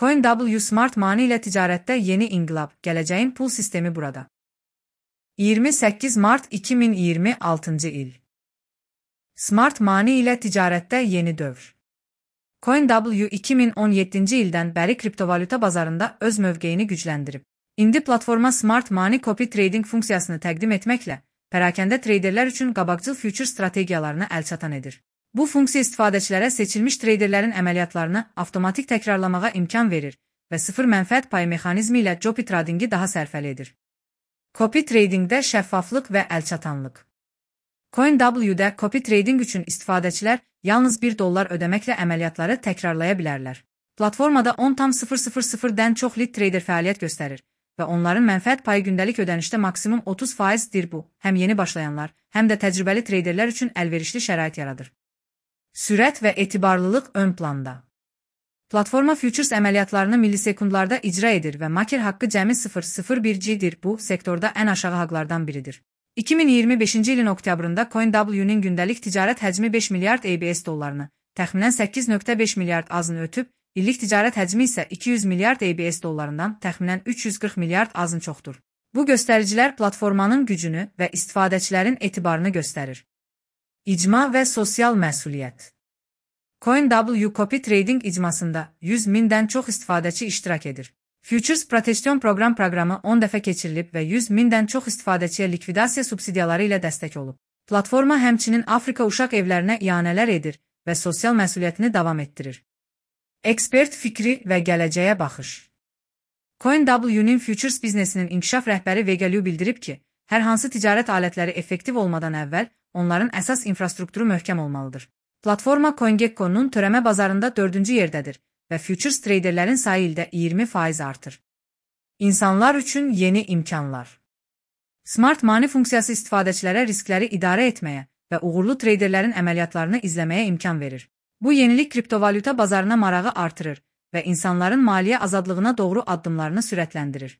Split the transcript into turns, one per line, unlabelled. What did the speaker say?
CoinW Smart Money ilə ticarətdə yeni inqilab, gələcəyin pul sistemi burada. 28 Mart 2026 il. Smart Money ilə ticarətdə yeni dövr. CoinW 2017-ci ildən bəri kriptovalyuta bazarında öz mövqeyini gücləndirib. İndi platforma Smart Money Copy Trading funksiyasını təqdim etməklə pərakəndə treyderlər üçün qabaqcıl future strategiyalarını əlçatan edir. Bu funksiya istifadəçilərə seçilmiş treyderlərin əməliyyatlarını avtomatik təkrarlamağa imkan verir və sıfır mənfəət payı mexanizmi ilə copy tradingi daha sərfəli edir. Copy tradingdə şəffaflıq və əlçatanlıq. CoinW-də copy trading üçün istifadəçilər yalnız $1 ödəməklə əməliyyatları təkrarlaya bilərlər. Platformada 10,000-dən çox lead trader fəaliyyət göstərir və onların mənfəət payı gündəlik ödənişdə maksimum 30%dir bu, həm yeni başlayanlar, həm də təcrübəli treyderlər üçün əlverişli şərait yaradır. Sürət və etibarlılıq ön planda. Platforma futures əməliyyatlarını millisekundlarda icra edir və maker haqqı cəmi 0,01G-dir. Bu, sektorda ən aşağı haqlardan biridir. 2025-ci ilin oktyabrında CoinW-nin gündəlik ticarət həcmi 5 milyard ABS dollarını, təxminən 8,5 milyard azını ötüb, illik ticarət həcmi isə 200 milyard ABS dollarından təxminən 340 milyard azın çoxdur. Bu göstəricilər platformanın gücünü və istifadəçilərin etibarını göstərir. İcma və sosial məsuliyyət. CoinW Copy Trading icmasında 100.000-dən çox istifadəçi iştirak edir. Futures Protection proqramı 10 dəfə keçirilib və 100.000-dən çox istifadəçiyə likvidasiya subsidiyaları ilə dəstək olub. Platforma həmçinin Afrika uşaq evlərinə ianələr edir və sosial məsuliyyətini davam etdirir. Ekspert fikri və gələcəyə baxış. CoinW-nin futures biznesinin inkişaf rəhbəri Vega Liu bildirib ki, hər hansı ticarət alətləri effektiv olmadan əvvəl onların əsas infrastrukturu möhkəm olmalıdır. Platforma CoinGecko-nun törəmə bazarında 4-cü yerdədir və futures treyderlərin sayı ildə 20% artır. İnsanlar üçün yeni imkanlar. Smart Money funksiyası istifadəçilərə riskləri idarə etməyə və uğurlu treyderlərin əməliyyatlarını izləməyə imkan verir. Bu yenilik kriptovalyuta bazarına marağı artırır və insanların maliyyə azadlığına doğru addımlarını sürətləndirir.